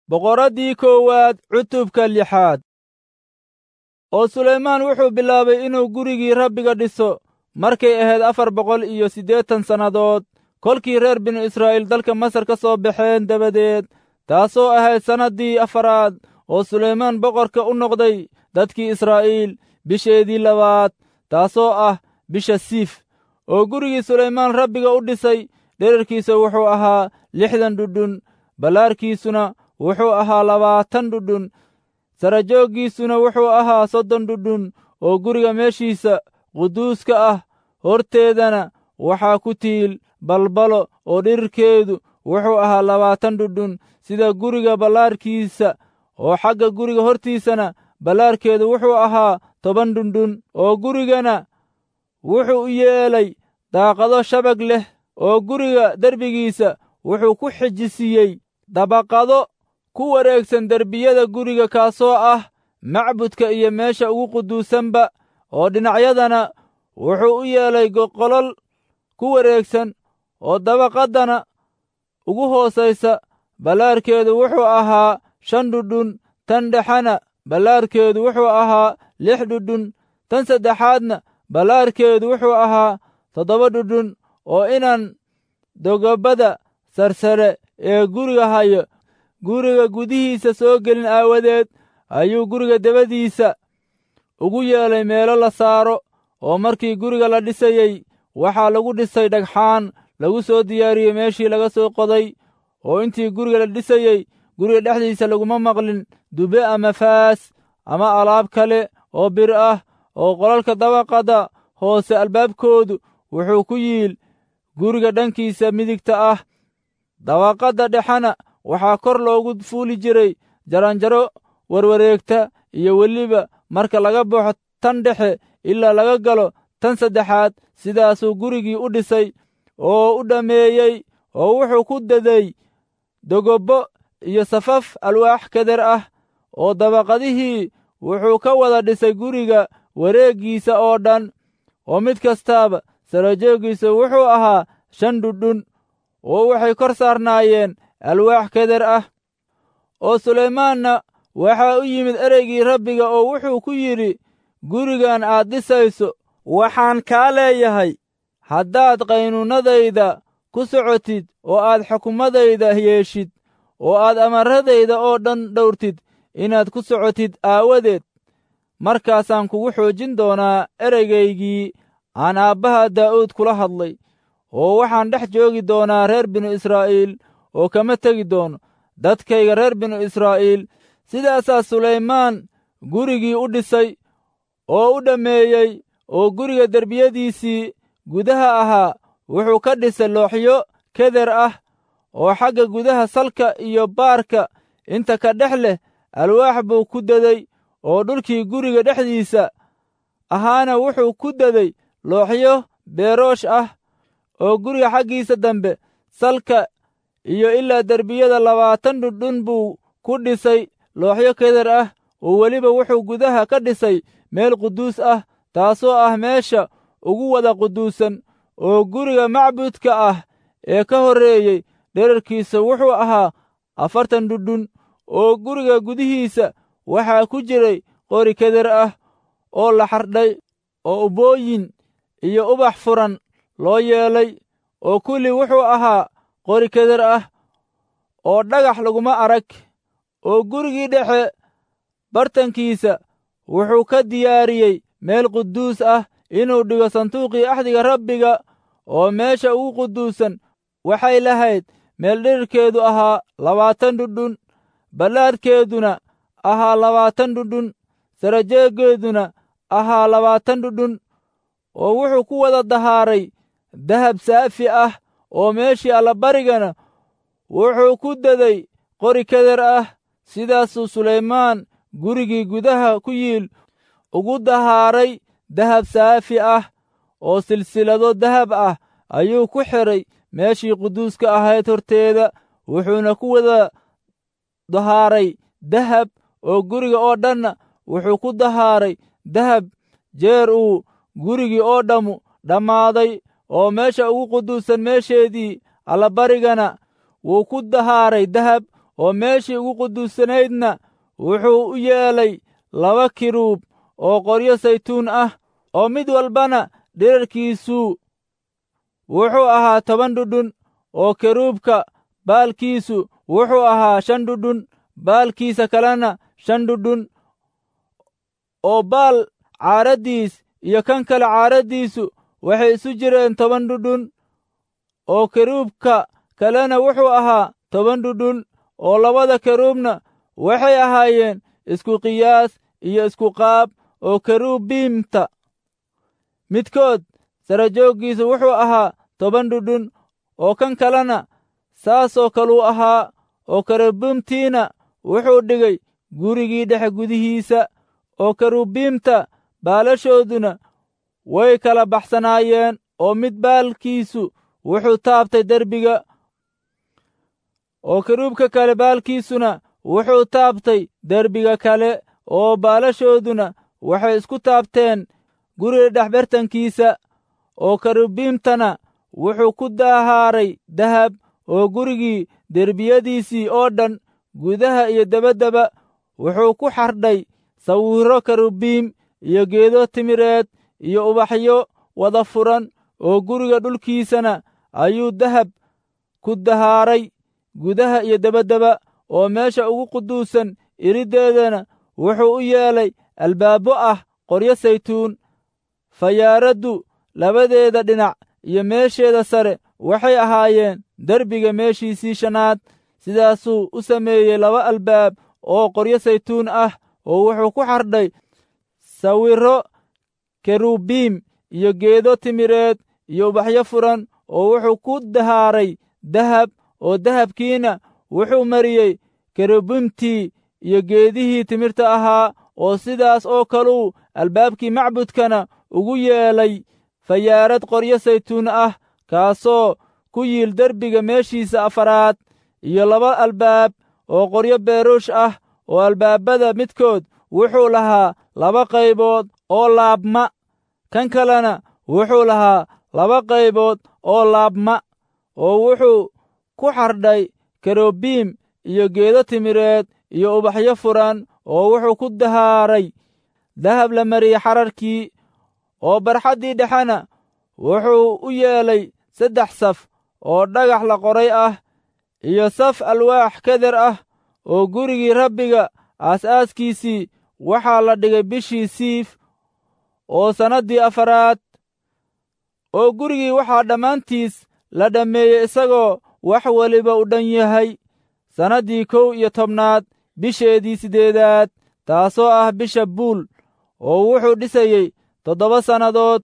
Boqoraddii koowaad cutubka lixaad. Oo Sulaymaan wuxuu bilaabay inuu gurigii Rabbiga dhiso markay ahayd 480 sannadood, kolkii reer binu Israa'iil dalka Masar ka soo baxeen dabadeed, taasoo ahayd sannaddii afaraad oo Sulaymaan boqorka u noqday dadkii Israa'iil, bisheedii labaad, taasoo ah bisha Siif. Oo gurigii Sulaymaan Rabbiga u dhisay dhererkiisa wuxuu ahaa 60 dhudhun, ballaarkiisuna wuxuu ahaa 20 dhudhun, sarajooggiisuna wuxuu ahaa 30 dhudhun. Oo guriga meeshiisa quduuska ah horteedana waxaa ku tiil balbalo, oo dhererkeedu wuxuu ahaa 20 dhudhun, sida guriga ballaarkiisa, oo xagga guriga hortiisana ballaarkeedu wuxuu ahaa 10 dhudhun. Oo gurigana wuxuu u yeelay daaqado shabag leh, oo guriga derbigiisa wuxuu ku xejisiiyey dabaqado ku wareegsan derbiyada guriga, kaasoo ah macbudka iyo meesha ugu quduusanba. Oo dhinacyadana wuxuu u yeelay qolol ku wareegsan, oo dabaqaddana ugu hoosaysa ballaarkeedu wuxuu ahaa 5 dhudhun, tan dhexena ballaarkeedu wuxuu ahaa 6 dhudhun, tan saddexaadna ballaarkeedu wuxuu ahaa 7 dhudhun. Oo inaan dogobada sarsare ee guriga hayo guriga gudihiisa soo gelin aawadeed ayuu guriga dabadiisa ugu yeelay meelo la saaro. Oo markii guriga la dhisayey waxaa lagu dhisay dhagxaan lagu soo diyaariyey meeshii laga soo qoday. Oo intii guriga la dhisayey guriga dhexdiisa laguma maqlin dube ama faas ama alaab kale oo bir ah. Oo qolalka dabaqada hoose albaabkoodu wuxuu ku yiil guriga dhankiisa midigta ah. Dabaqadda dhexena waxaa kor loogu fuuli jiray jaranjaro warwareegta, iyo weliba marka laga baxo tan dhexe ilaa laga galo tan saddexaad. Sidaasuu gurigii u dhisay oo u dhammeeyey, oo wuxuu ku daday dogobbo iyo safaf alwaax keder ah. Oo dabaqadihii wuxuu ka wada dhisay guriga wareeggiisa oo dhan, oo mid kastaaba sarajooggiisa wuxuu ahaa 5 dhudhun, oo waxay kor saarnaayeen alwaax keder ah. Oo Sulaymaanna waxaa u yimid ereygii Rabbiga, oo wuxuu ku yidhi, gurigan aad dhisayso waxaan kaa leeyahay, haddaad qaynuunnadayda ku socotid oo aad xukumadayda yeeshid oo aad amarradayda oo dhan dhowrtid inaad ku socotid aawadeed, markaasaan kugu xoojin doonaa ereygaygii aan aabbaha Daa'uud kula hadlay. Oo waxaan dhex joogi doonaa reer binu Israa'iil, oo kama tegi doono dadkayga reer binu Israa'iil. Sidaasaa Sulaymaan gurigii u dhisay oo u dhammeeyey. Oo guriga derbiyadiisii gudaha ahaa wuxuu ka dhisay looxyo keder ah, oo xagga gudaha salka iyo baarka inta ka dhex leh alwaax buu ku daday. Oo dhulkii guriga dhexdiisa ahaana wuxuu ku daday looxyo beeroosh ah. Oo guriga xaggiisa dambe salka iyo ilaa derbiyada 20 dhudhun buu ku dhisay looxyo keder ah. Oo weliba wuxuu gudaha ka dhisay meel quduus ah, taasoo ah meesha ugu wada quduusan. Oo guriga macbudka ah ee ka horreeyey dhererkiisa wuxuu ahaa 40 dhudhun. Oo guriga gudihiisa waxaa ku jiray qori keder ah oo la xardhay, oo ubbooyin iyo ubax furan loo yeelay, oo kulli wuxuu ahaa qori keder ah, oo dhagax laguma arag. Oo gurigii dhexe bartankiisa wuxuu ka diyaariyey meel quduus ah inuu dhigo sanduuqii axdiga Rabbiga. Oo meesha ugu quduusan waxay lahayd meel dhererkeedu ahaa 20 dhudhun, ballaadhkeeduna ahaa 20 dhudhun, sarajeeggeeduna ahaa 20 dhudhun. Oo wuxuu ku wada dahaaray dahab saafi ah, oo meeshii allabarigana wuxuu ku daday qori keder ah. Sidaasuu Sulaymaan gurigii gudaha ku yiil ugu dahaaray dahab saafi ah, oo silsilado dahab ah ayuu ku xidhay meeshii quduuska ahayd horteeda, wuxuuna ku wada dahaaray dahab. Oo guriga oo dhanna wuxuu ku dahaaray dahab jeer uu gurigii oo dhammu dhammaaday. Oo meesha ugu quduusan meesheedii allabarigana wuu ku dahaaray dahab. Oo meeshii ugu quduusanaydna wuxuu u yeelay 2 kiruub oo qoryo saytuun ah, oo mid walbana dhererkiisu wuxuu ahaa 10 dhudhun, oo keruubka baalkiisu wuxuu ahaa 5 dhudhun, baalkiisa kalena 5 dhudhun, oo baal caaraddiis iyo kan kale caaraddiisu waxay isu jireen 10 dhudhun, oo keruubka kalena wuxuu ahaa 10 dhudhun, oo labada keruubna waxay ahaayeen isku qiyaas iyo isku qaab. Oo kerubiimta midkood sarajooggiisu wuxuu ahaa 10 dhudhun, oo kan kalena saasoo kaluu ahaa. Oo kerubiimtiina wuxuu dhigay gurigii dhexe gudihiisa, oo kerubiimta baalashooduna way kala baxsanaayeen, oo mid baalkiisu wuxuu taabtay derbiga, oo keruubka kale baalkiisuna wuxuu taabtay derbiga kale, oo baalashooduna waxay isku taabteen guriga dhexbartankiisa. Oo kerubiimtana wuxuu ku daahaaray dahab, oo gurigii derbiyadiisii oo dhan gudaha iyo dabaddaba wuxuu ku xardhay sawirro kerubiim iyo geedo timireed iyo ubaxyo wada furan, oo guriga dhulkiisana ayuu dahab ku dahaaray gudaha iyo dabaddaba. Oo meesha ugu quduusan iriddeedana wuxuu u yeelay albaabbo ah qoryo saytuun. Fayaaraddu labadeeda dhinac iyo meesheeda sare waxay ahaayeen derbiga meeshiisii shanaad. Sidaasuu u sameeyey 2 albaab oo qoryo saytuun ah, oo wuxuu ku xardhay sawirro kerubiim iyo geedo timireed iyo ubaxyo furan, oo wuxuu ku dahaaray dahab, oo dahabkiina wuxuu mariyey kerubiimtii iyo geedihii timirta ahaa. Oo sidaas oo kaluu albaabkii macbudkana ugu yeelay fayaarad qoryo saytuun ah, kaasoo ku yiil derbiga meeshiisa afaraad, iyo 2 albaab oo qoryo beeruush ah, oo albaabada midkood wuxuu lahaa 2 qaybood oo laabma, kan kalena wuxuu lahaa 2 qaybood oo laabma, oo wuxuu ku xardhay kerubiim iyo geedo timireed iyo ubaxyo furan, oo wuxuu ku dahaaray dahab la mariyey xararkii. Oo barxaddii dhexena wuxuu u yeelay 3 saf oo dhagax la qoray ah iyo saf alwaax keder ah. Oo gurigii Rabbiga aasaaskiisii waxaa la dhigay bishii Siif oo sannaddii 4aad. Oo gurigii waxaa dhammaantiis la dhammeeyey isagoo wax waliba u dhan yahay sannaddii 11aad bisheedii 8aad, taasoo ah bisha Buul, oo wuxuu dhisayey 7 sannadood.